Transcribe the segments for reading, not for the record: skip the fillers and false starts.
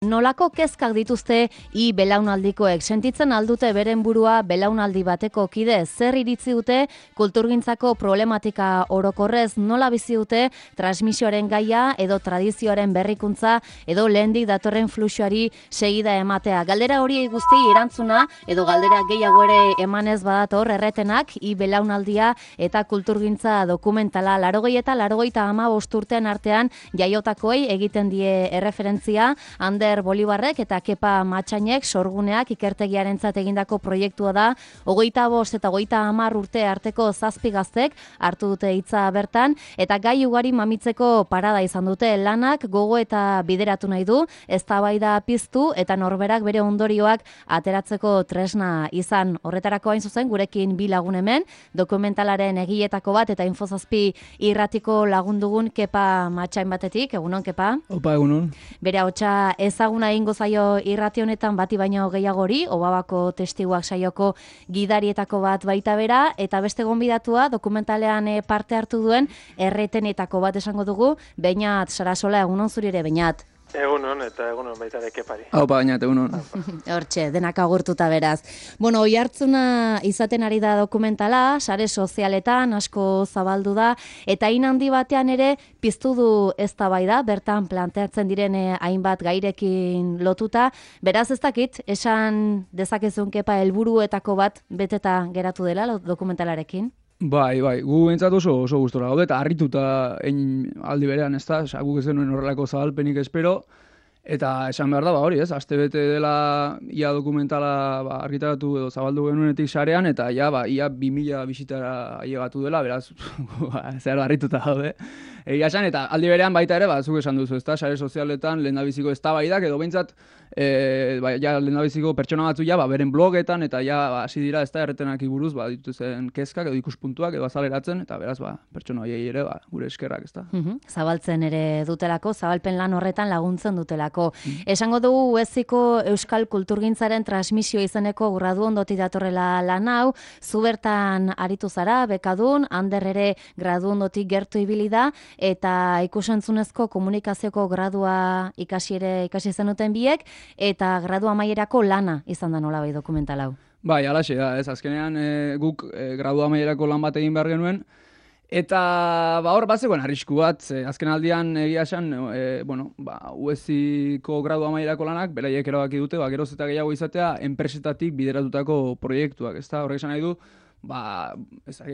Nolako kezkak dituzte belaunaldikoek? Sentitzen aldute beren burua belaunaldi bateko kide? Zer iritzi dute kulturgintzako problematika orokorrez? Nola bizi dute transmisioaren gaia edo tradizioaren berrikuntza edo lehendik datorren fluxuari segida ematea? Galdera hori guzti erantzuna edo galdera gehiago ere emanez badator erretenak belaunaldia eta kulturgintza dokumentala 80 eta 85 urtean artean jaiotakoei egiten die erreferentzia Ander Bolibarrek eta Kepa Matxainek sorguneak ikertegiarentzat egindako proiektua da. 25 eta 30 urte arteko 7 gaztek hartu dute hitza bertan eta gai ugari mamitzeko parada izan dute. Lanak gogo eta bideratu nahi du, eztabaida piztu eta norberak bere ondorioak ateratzeko tresna izan. Horretarako hain zuzen gurekin bi lagun hemen, dokumentalaren egiletako bat eta Infozazpi irratiko lagundugun Kepa Matxain batetik. Egunon, Kepa? Opa, egunon. Bere ahotsa ezaguna egingo zaio irrati honetan bati baino gehiagori, Obabako testiguak saioko gidarietako bat baita bera, eta beste gonbidatua dokumentalean parte hartu duen erretenetako bat esango dugu, Beñat Sarasola. Egunon zuri ere, Beñat. Egunon, eta egunon baita ere Kepari. Opa, Beñat, egunon. Hortxe, denak agurtuta beraz. Bueno, oihartzuna izaten ari da dokumentala, sare sozialetan asko zabaldu da, eta hain handi batean ere piztu du eztabaida, bertan planteatzen diren hainbat gairekin lotuta. Beraz ez dakit, esan dezakezun Kepa helburuetako bat beteta geratu dela dokumentalarekin? Bai, gu behintzat oso gustora gaude, eta harrituta aldi berean, ez da, guk ez denuen horrelako zabalpenik espero, eta esan behar da, hori ez, astebete dela ia dokumentala argitaratu edo zabaldu genuenetik sarean, eta ia 2000 bisitara ailegatu dela, beraz, zer harrituta gaude. Egia esan, eta aldi berean baita ere, zuk esan duzu, ezta, sare sozialetan lehendabiziko eztabaidak edo behintzat, lehendabiziko pertsona batzu beren blogetan, eta hasi dira, ezta, erretenak buruz, dituzen kezkak edo ikuspuntuak edo azaleratzen, eta beraz, pertsona horiei ere, gure eskerrak, ezta. Zabaltzen ere dutelako, zabalpen lan horretan laguntzen dutelako. Esango dugu UEZiko Euskal Kulturgintzaren transmisio izeneko gradu ondoti datorrela lan hau, zu bertan aritu zara, bekadun, Ander ere gradu ondotik gertu ibili da, eta ikusentzunezko komunikazioko gradua ikasi zenuten biek, eta gradu amaierako lana izan da nolabait dokumental hau. Bai, alaxe da, ez, azkenean guk gradu amaierako lan bat egin behar genuen, eta hor bazegoen arrisku bat, azken aldian egia esan, UEZiko gradu amaierako lanak, beraiek erabaki dute, geroz eta gehiago izatea, enpresetatik bideratutako proiektuak, ez da, horrek esan nahi du,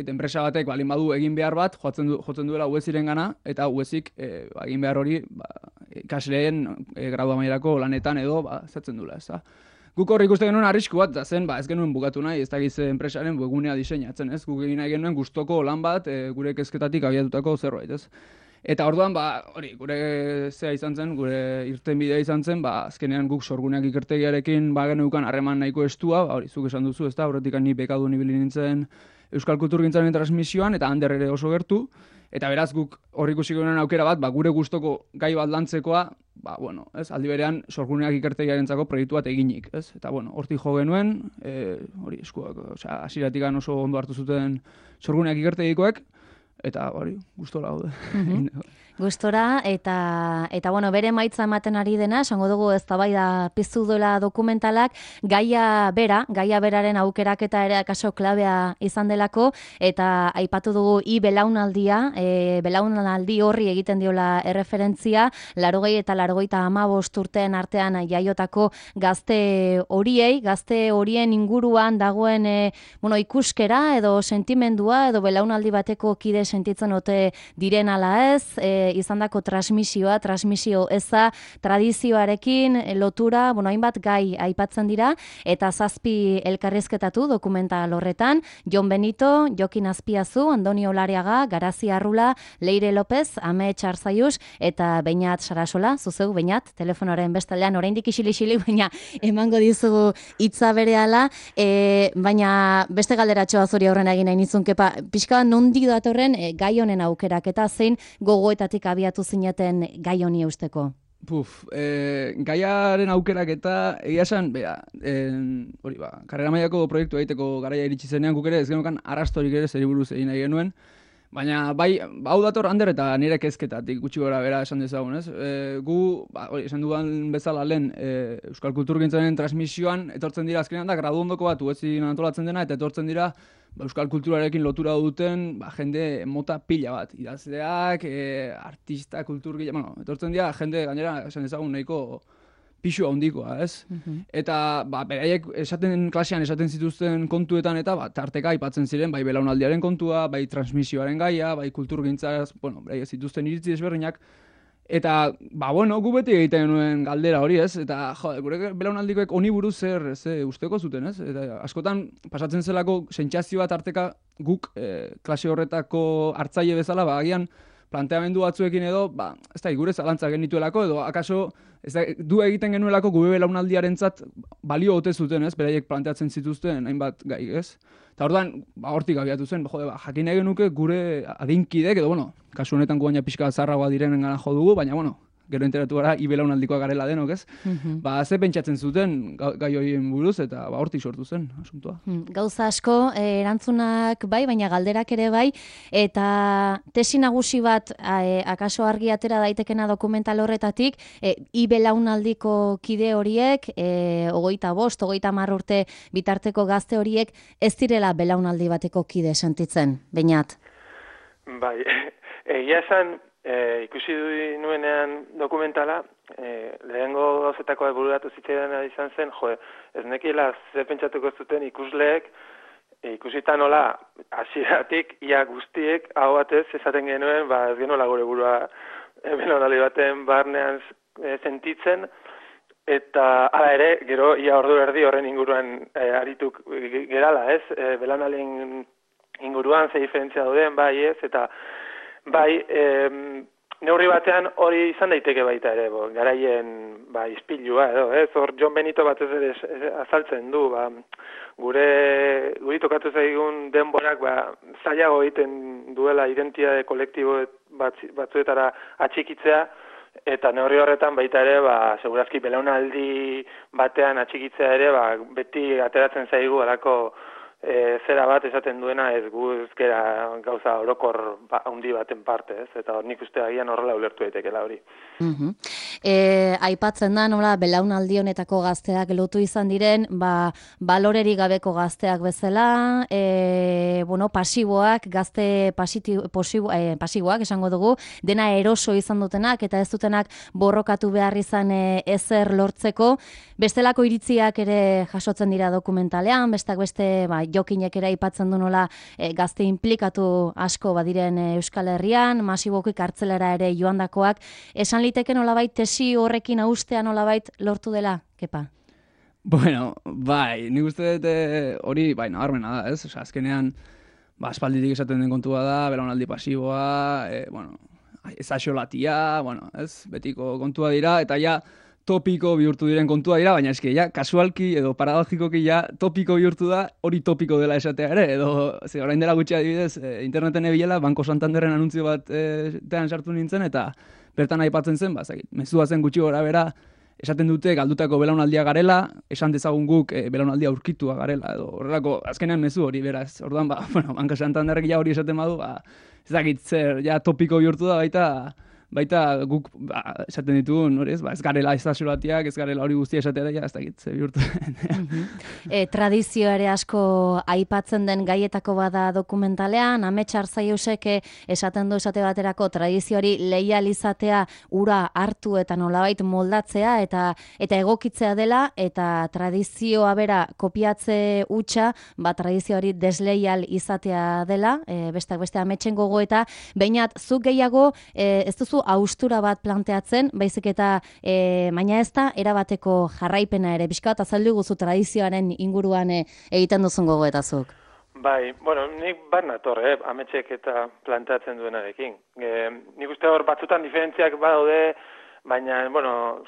enpresa batek balin badu egin behar bat, jotzen duela UEZiren gana, eta UEZik egin behar hori ikasleen gradu amaierako lanetan edo zatzen duela, ez da. Guk hor ikusten genuen arrisku bat, zen, ez genuen bukatu nahi, ez dakiz enpresaren webgunea diseinatzen, ez? Guk egin nahi genuen gustoko lan bat, gure kezketatik abiatutako zerbait, ez? Eta orduan, gure zea izan zen, gure irtenbidea izan zen, azkenean guk sorguneak ikertegiarekin geneukan harreman nahiko estua, hori zuk esan duzu, ez da, horretik ni bekadun ibili nintzen Euskal Kulturgintzaren transmisioan, eta Ander ere oso gertu, eta beraz guk hor ikusi genuen aukera bat, gure gustoko gai bat lantzekoa, aldi berean sorguneak ikertegiarentzako proiektu bat eginik, ez? Eta hortik jo genuen, hori eskuak, hasieratik oso ondo hartu zuten sorguneak ikertegikoek, eta hori, gustora gaude. Gustora, eta bere emaitza ematen ari dena, esango dugu eztabaida piztu duela dokumentalak, gaia beraren aukeraketa ere akaso klabea izan delako, eta aipatu dugu belaunaldia, belaunaldi horri egiten diola erreferentzia, 80 eta 85 urteen artean jaiotako gazte horien inguruan dagoen ikuskera edo sentimendua edo belaunaldi bateko kide sentitzen ote diren ala ez, izandako transmisio eza, tradizioarekin lotura, hainbat gai aipatzen dira, eta 7 elkarrizketatu dokumental horretan, Jon Benito, Jokin Azpiazu, Andoni Olariaga, Garazi Arrula, Leire López, Ame Txarzaius, eta Beñat Sarasola, zuzeu, Beñat, telefonoaren bestaldean, oraindik isili, baina emango dizugu hitza berehala, baina beste galderatxoa zuri aurrena egin nahi nizun, Kepa, pixka nondik datorren gai honen aukerak, eta zein gogoetatik abiatu zineten gai honi eusteko? Gaiaren aukerak eta egia esan, karrera mailako proiektu egiteko garaia iritsi zenean, guk ere ez genukan arrastorik ere zeri buruz egin nahi genuen, Baina, bai, hau dator Ander eta nire kezketatik gutxi gora bera esan dezagun, ez? Gu, esan dudan bezala lehen, Euskal Kulturgintzaren transmisioan, etortzen dira azkenean da, gradu ondoko bat, uetzin antolatzen dena, eta etortzen dira, Euskal kulturarekin lotura duten, jende mota pila bat, idazleak, artista, kulturgile, bueno, etortzen dira, jende, gainera, esan dezagun, nahiko pixu handikoa, ez? Eta beraiek klasean esaten zituzten kontuetan eta tarteka aipatzen ziren bai belaunaldiaren kontua, bai transmisioaren gaia, bai kulturgintzaz, bueno, beraiek zituzten iritzi desberdinak. Eta, gu beti egiten genuen galdera hori, ez? Eta, gure belaunaldikoek honi buruz zer usteko zuten, ez? Eta askotan pasatzen zelako sentsazioa tarteka guk klase horretako hartzaile bezala, agian planteamendu batzuekin edo, ez da, gure zalantza genituelako, edo akaso du egiten genuelako gube belaunaldiarentzat balio ote zuten, ez? Beraiek planteatzen zituzten hainbat gai, ez? Eta orduan, hortik abiatu zen, jakin nahi genuke gure adinkidek, edo, kasu honetan gu baina pixka zarragoa direnen gana jo dugu, baina, gero enteratu gara, ibelaunaldikoa garela denok, ez? Ze pentsatzen zuten gai horien buruz, eta hortik sortu zen, asuntua. Gauza asko, erantzunak bai, baina galderak ere bai, eta tesi nagusi bat akaso argi atera daitekena dokumental horretatik, ibelaunaldiko kide horiek, 25, 30 urte bitarteko gazte horiek, ez direla belaunaldi bateko kide sentitzen, Beñat? Bai, egia esan, ikusi nuenean dokumentala, lehengo gauzetako bururatu zitzaidan izan zen, ez nekiela ze pentsatuko zuten ikusleek, ikusita nola hasieratik ia guztiek hau batez esaten genuen, ez genuela gure burua belaunaldi baten barnean sentitzen, eta hala ere, gero ia ordu erdi horren inguruan arituk gerala, ez? Belaunaldien inguruan ze diferentzia dauden, bai ez, eta bai, neurri batean hori izan daiteke baita ere, garaien ispilua edo, ez? Hor Jon Benito batez ere azaltzen du, guri tokatu zaigun denborak zailago egiten duela identitate kolektibo batzuetara atxikitzea, eta neurri horretan baita ere, segurazki belaunaldi batean atxikitzea ere, beti ateratzen zaigu alako zera bat esaten duena ez gu ezkera gauza orokor handi baten parte, ez? Eta nik uste agian horrela ulertu daitekela hori. Aipatzen da, nola, belaunaldi honetako gazteak lotu izan diren, balorerik gabeko gazteak bezala, pasiboak, gazte pasiboak, esango dugu, dena eroso izan dutenak, eta ez dutenak borrokatu behar izan ezer lortzeko, bestelako iritziak ere jasotzen dira dokumentalean, besteak beste, Jokinek ere aipatzen du nola gazte inplikatu asko badiren Euskal Herrian, masiboki kartzelera ere joandakoak, esan liteke nolabait tesi horrekin austea nolabait lortu dela, Kepa? Bueno, bai, nik uste dut hori, nabarmena da, ez? Osa, azkenean, aspalditik esaten den kontua da, belaunaldi pasiboa, ezaxolatia, ez? Betiko kontua dira, eta ja, topiko bihurtu diren kontua dira, baina eske ja kasualki edo paradogikoki ja topiko bihurtu da, hori topiko dela esatea ere, edo orain dela gutxi adibidez, interneten ebilela, Banko Santanderren anuntzio bat sartu nintzen, eta bertan aipatzen zen, mezua zen gutxi gora bera, esaten dute galdutako belaunaldia garela, esan dezagun guk belaunaldia aurkitua garela, edo horrelako azkenean mezu hori beraz. Orduan, Banko Santanderrek ja hori esaten badu, ez dakit zer, ja topiko bihurtu da baita guk esaten ditugun, ez garela ezaxolatiak, ez garela hori guztia esatea da, ez dakit, ze bihurtu. Tradizio ere asko aipatzen den gaietako bada dokumentalean, Amets Arzaiusek esaten du esate baterako tradizioari leial izatea ura hartu eta nolabait moldatzea eta egokitzea dela, eta tradizioa bera kopiatze hutsa, tradizioari desleial izatea dela, besteak beste Ametsen gogoeta, Beñat, zuk gehiago ez duzu austura bat planteatzen, baizik eta baina ez da erabateko jarraipena ere, pixka bat azaldu guzu tradizioaren inguruan egiten duzun gogoetazuk. Bai, nik bat nator, Ametsek eta planteatzen duenarekin. Nik uste hor batzutan diferentziak badaude, baina,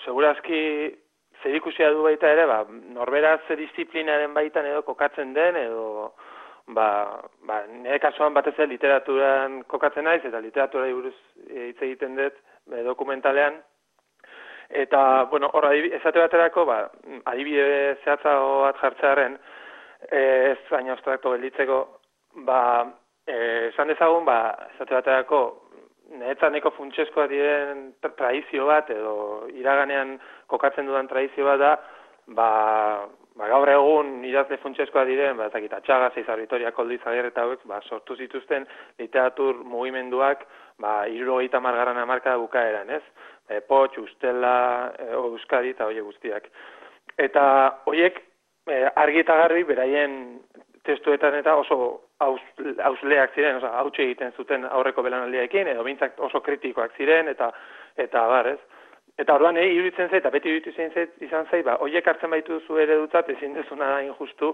segurazki zerikusia du baita ere, norberaz disiplinaren baitan edo kokatzen den, edo nire kasuan batez literaturan kokatzen naiz, eta literatura buruz hitz egiten dut dokumentalean. Eta, hor esate baterako, adibide zehatzago bat jartzearen, ez baina abstrakto gelditzeko, esan dezagun, esate baterako, niretzat neko funtsezkoa diren tradizio bat, edo iraganean kokatzen dudan tradizio bat da, gaur egun idazle funtsezkoa diren, ezakit, Atxaga, Zeizar Vitoria, Koldo Izagirre eta hauek, sortu zituzten literatur mugimenduak, 70. hamarkada bukaeran, ez? Potx, Ustela, Euskadi eta horiek guztiak. Eta horiek argi eta garbi beraien testuetan eta oso hausleak ziren, hautsi egiten zuten aurreko belaunaldiaekin, edo bintzak oso kritikoak ziren, eta bar, ez? Eta orduan, iruditzen zait, eta beti iruditzen izan zait, horiek hartzen baitu zu eredutzat, ezin dezuna da injustu,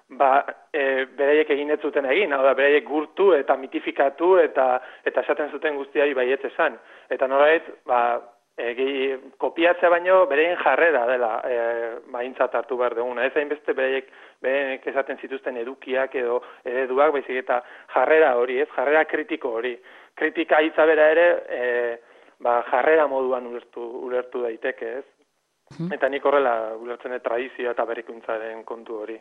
beraiek egin ez zuten egin, hau da, beraiek gurtu eta mitifikatu eta esaten zuten guztiari baietz esan. Eta norbait, kopiatzea baino beraien jarrera dela aintzat hartu behar duguna. Ez hainbeste beraiek esaten zituzten edukiak edo ereduak, baizik eta jarrera hori, ez? Jarrera kritiko hori. Kritika hitza bera ere, jarrera moduan ulertu daiteke, ez? Eta nik horrela ulertzen tradizioa eta berrikuntzaren kontu hori.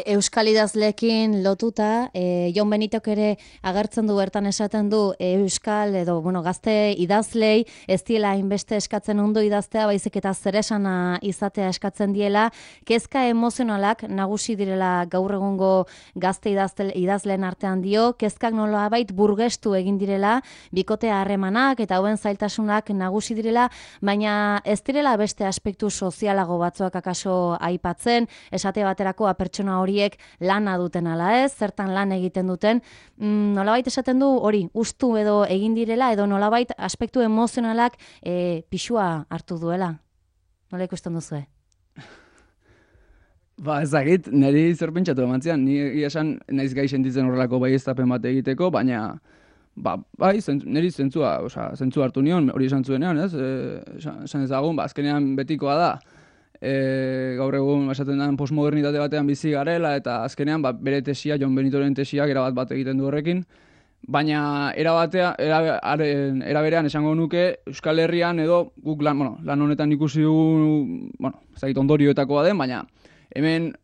Euskal idazleekin lotuta, Jon Benitok ere agertzen du bertan esaten du Euskal edo gazte idazlei ez diela hainbeste eskatzen ondo idaztea, baizik eta zeresana izatea eskatzen diela, kezka emozionalak nagusi direla gaur egungo gazte idazleen artean dio, kezkak nolabait burgestu egin direla, bikotea harremanak eta hauen zailtasunak nagusi direla, baina ez direla beste aspektu sozialago batzuak akaso aipatzen, esate baterako pertsona horiek lana duten ala ez, zertan lan egiten duten, nolabait esaten du hori, ustu edo egin direla, edo nolabait aspektu emozionalak pixua hartu duela. Nola ikusten duzue? Ezagit, niri zer pentsatu emantzian, ni esan naiz gai sentitzen horrelako baieztapen bat egiteko, baina niri zentzua hartu nion, hori esan zuenean, ez? Esan ezagun, azkenean betikoa da, gaur egun esaten den postmodernitate batean bizi garela, eta azkenean bere tesia, Jon Benitoren tesiak erabat bat egiten du horrekin, baina era berean esango nuke Euskal Herrian edo guk lan honetan ikusi dugu, ezagit ondorioetakoa den, baina hemen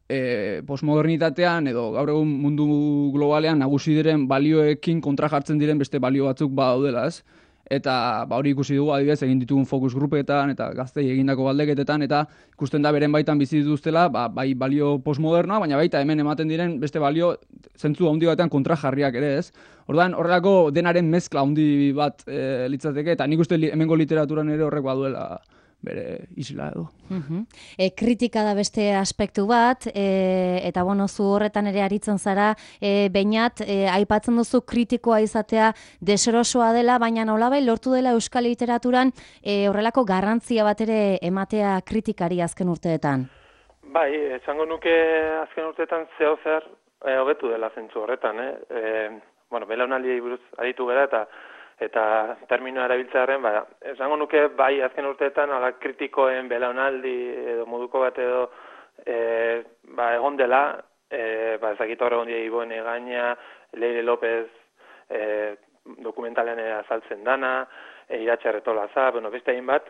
postmodernitatean edo gaur egun mundu globalean nagusi diren balioekin kontra jartzen diren beste balio batzuk badaudela, ez? Eta hori ikusi dugu adibidez egin ditugun fokus grupetan eta gaztei egindako galdeketetan eta ikusten da beren baitan bizi dituztela, bai balio postmodernoa, baina baita hemen ematen diren beste balio zentzu handi batean kontra jarriak ere, ez? Orduan horrelako denaren mezkla handi bat litzateke eta nik uste hemengo literaturan ere horrek baduela bere isla edo. Kritika da beste aspektu bat, eta zu horretan ere aritzen zara, bainat, aipatzen duzu kritikoa izatea deserosoa dela, baina nolabait lortu dela euskal literaturan horrelako garrantzia bat ere ematea kritikari azken urteetan. Bai, esango nuke azken urteetan zer hobetu dela zentzu horretan, belaunaldiei buruz aritu gara eta terminoa erabiltzearen, esango nuke bai azken urteetan kritikoen belaunaldi edo moduko bat edo egon dela, ezakit hor egon dira Iboen Egaña, Leire López dokumentalean azaltzen dana, Iratxe Arretolaza, beste egin bat.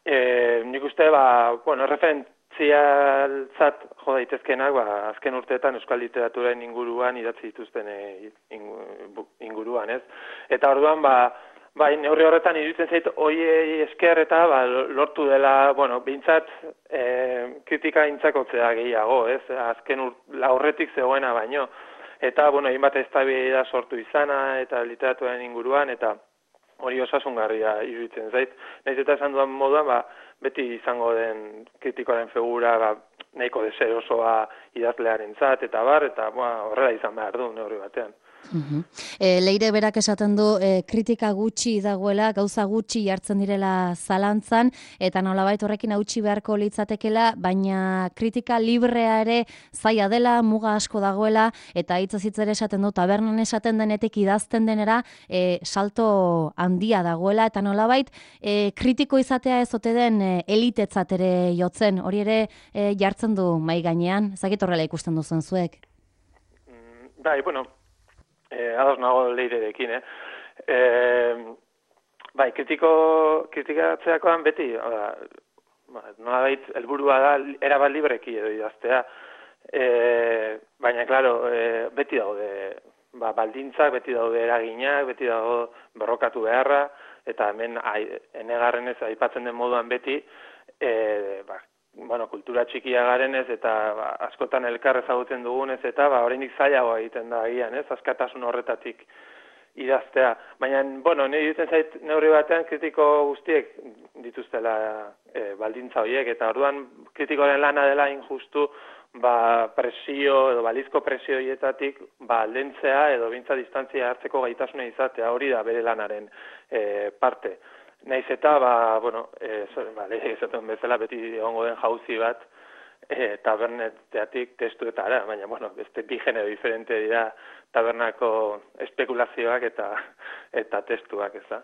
Nik uste, referentzialtzat jo daitezkenak azken urteetan euskal literaturen inguruan idatzi dituzten inguruan, ez? Eta orduan, neurri horretan iruditzen zait, hoiei esker eta lortu dela, behintzat kritika intzakotzea gehiago, ez? Azken aurretik zegoena baino. Eta, egin bat eztabaida sortu izana eta literaturen inguruan, eta hori osasungarria iruditzen zait. Nahiz eta esan duan moduan, beti izango den kritikoaren figura nahiko deserosoa idazlearentzat eta horrela izan behar du neurri batean. Leire berak esaten du kritika gutxi dagoela, gauza gutxi jartzen direla zalantzan, eta nolabait horrekin hautsi beharko litzatekela, baina kritika librea ere zaila dela, muga asko dagoela, eta hitzez hitz ere esaten du, tabernan esaten denetik idazten denera salto handia dagoela, eta nolabait kritiko izatea ez ote den elitetzat ere jotzen, hori ere jartzen du mai gainean, ezakit horrela ikusten duzen zuek? Bai, ados nago Leirerekin, kritikatzeakoan beti, nolabait helburua da erabat libreki edo idaztea, baina, klaro, beti daude baldintzak, beti daude eraginak, beti dago berrokatu beharra, eta hemen enegarrenez aipatzen den moduan beti, kultura txikia garenez eta askotan elkar ezagutzen dugunez eta oraindik zailagoa egiten da agian, ez? Askatasun horretatik idaztea. Baina, nire ditzen zait neurri batean kritiko guztiek dituztela baldintza horiek, eta orduan kritikoren lana dela injustu presio edo balizko presio horietatik aldentzea edo bintza distantzia hartzeko gaitasuna izatea, hori da bere lanaren parte. Naiz eta, esaten bezala beti egongo den jauzi bat taberneteatik testuetara, baina, beste bi genero diferente dira tabernako espekulazioak eta testuak, ez da.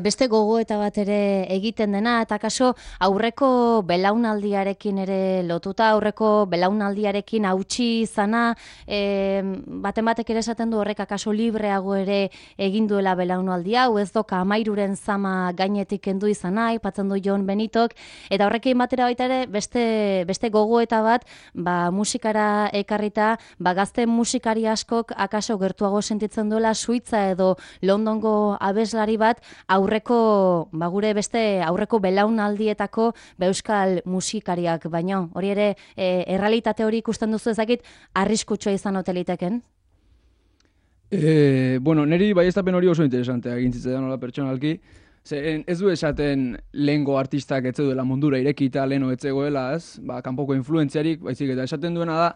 Beste gogoeta bat ere egiten dena, eta kaso aurreko belaunaldiarekin ere lotuta, aurreko belaunaldiarekin hautsi izana, baten batek ere esaten du horrek akaso libreago ere egin duela belaunaldi hau, ez doka 13 zama gainetik kendu izana, aipatzen du Jon Benitok, eta horrekin batera baita ere beste gogoeta bat, musikara ekarrita, gazte musikari askok akaso gertuago sentitzen duela Suitza edo Londongo abeslari bat aurreko, gure beste aurreko belaunaldietako euskal musikariak, baino hori ere errealitate hori ikusten duzu ezakit arriskutsua izan oteliteken? Neri baieztapen hori oso interesantea egin zitzaidan nola pertsonalki. Ez du esaten lehengo artistak ez duela mundura irekita leheno etzegoela, ez? Kanpoko influentziarik, baizik eta esaten duena da,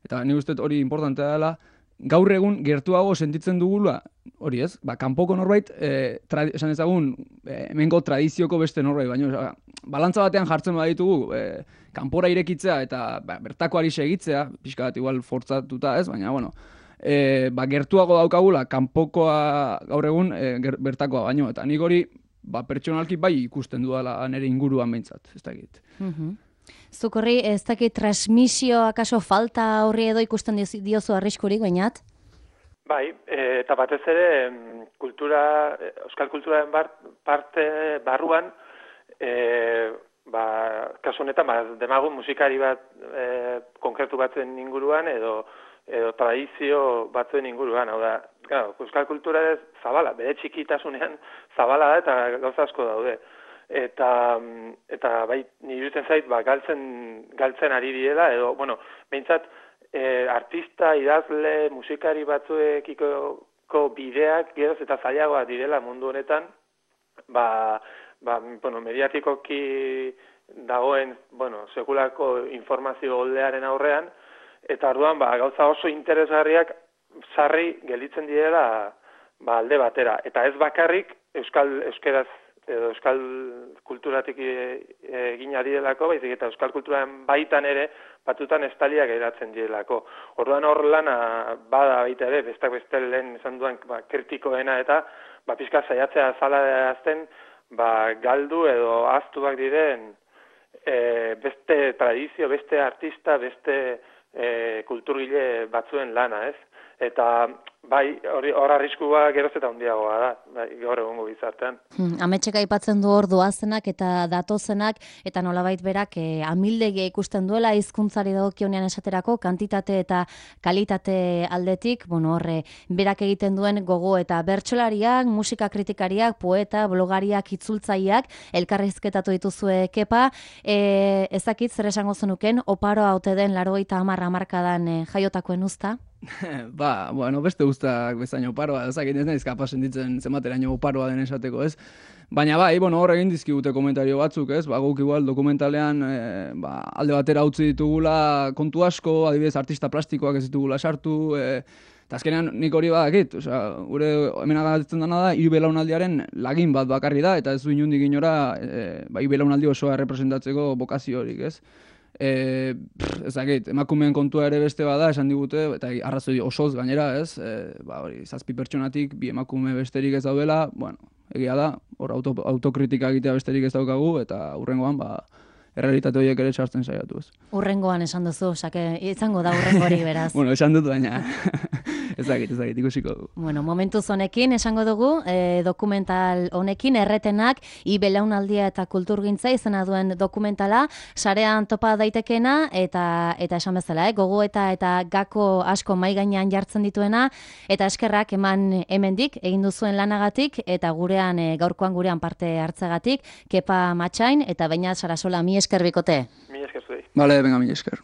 eta ni uste hori importantea dela, gaur egun gertuago sentitzen dugula, hori ez, kanpoko norbait, esan ezagun, hemengo tradizioko beste norbait, baina balantza batean jartzen baditugu, kanpora irekitzea eta bertakoari segitzea, pixka bat igual fortzatuta ez, baina, gertuago daukagula, kanpokoa gaur egun bertakoa baino, eta nik hori, pertsonalki bai ikusten dudala nire inguruan behintzat, ez dakit. Zuk horri, ez dakit transmisio akaso falta horri edo ikusten diozu arriskurik, bainat? Bai, eta batez ere euskal kulturaren parte barruan, kasu honetan, demagun musikari bat konkretu batzen inguruan edo tradizio batzuen inguruan, hau da, euskal kultura ez zabala, bere txikitasunean zabala da eta gauza asko daude. Eta bai, nire duten zait, galtzen ari direla, edo, behintzat, artista, idazle, musikari batzuekiko bideak geroz eta zailagoa direla mundu honetan, mediatikoki dagoen, sekulako informazio oldearen aurrean, eta orduan, gauza oso interesgarriak sarri gelditzen direla alde batera. Eta ez bakarrik euskeraz edo euskal kulturatik egin direlako, baizik eta euskal kulturaren baitan ere batutan estaliak eratzen direlako. Orduan hor lana bada baita ere, bestak beste lehen esan duan kritikoena eta pixka saiatzea zala azten galdu edo ahaztuak diren beste tradizio, beste artista, beste kulturgile batzuen lana, ez? Eta bai, hor arriskua geroz eta handiagoa da, gaur egungo gizartean. Ametxeka aipatzen du hor doazenak eta datozenak, eta nolabait berak amildegia ikusten duela hizkuntzari dagokionean esaterako, kantitate eta kalitate aldetik, horre, berak egiten duen gogo eta bertsolariak, musika kritikariak, poeta, blogariak, itzultzaileak, elkarrizketatu dituzue Kepa, ezakit zer esango zenuken, oparoa ote den 80 hamarkadan jaiotakoen uzta? Beste guztak bezain oparoa, ezakit ez naiz kapaz sentitzen zenbateraino oparoa den esateko, ez? Baina hor egin dizkigute komentario batzuk, ez? Guk igual dokumentalean alde batera utzi ditugula kontu asko, adibidez artista plastikoak ez ditugula sartu, eta azkenean nik hori badakit, gure hemen agatzen dena da, hiru belaunaldiaren lagin bat bakarri da, eta ez du inundik inora, hiru belaunaldi osoa representatzeko bokazio horik, ez? Ezakit, emakumeen kontua ere beste bada, esan digute, eta arrazoi osoz gainera, ez? 7 pertsonatik, 2 emakume besterik ez daudela, egia da, hor autokritika egitea besterik ez daukagu, eta hurrengoan, errealitate horiek ere txartzen saiatu, ez? Hurrengoan esan duzu, izango da hurrengori beraz. Esan dut baina. Ezagit, ikusiko dugu. Bueno, momentuz honekin, esango dugu, dokumental honekin, erretenak, belaunaldia eta kulturgintza izena duen dokumentala, sarean topa daitekena, eta esan bezala, gogo eta gako asko mai gainean jartzen dituena, eta eskerrak eman hemendik, egin duzuen lanagatik, eta gaurkoan gurean parte hartzegatik, Kepa Matxain, eta baina Sarasola, mi esker bikote. Mi esker zuei. Vale, venga, mi esker.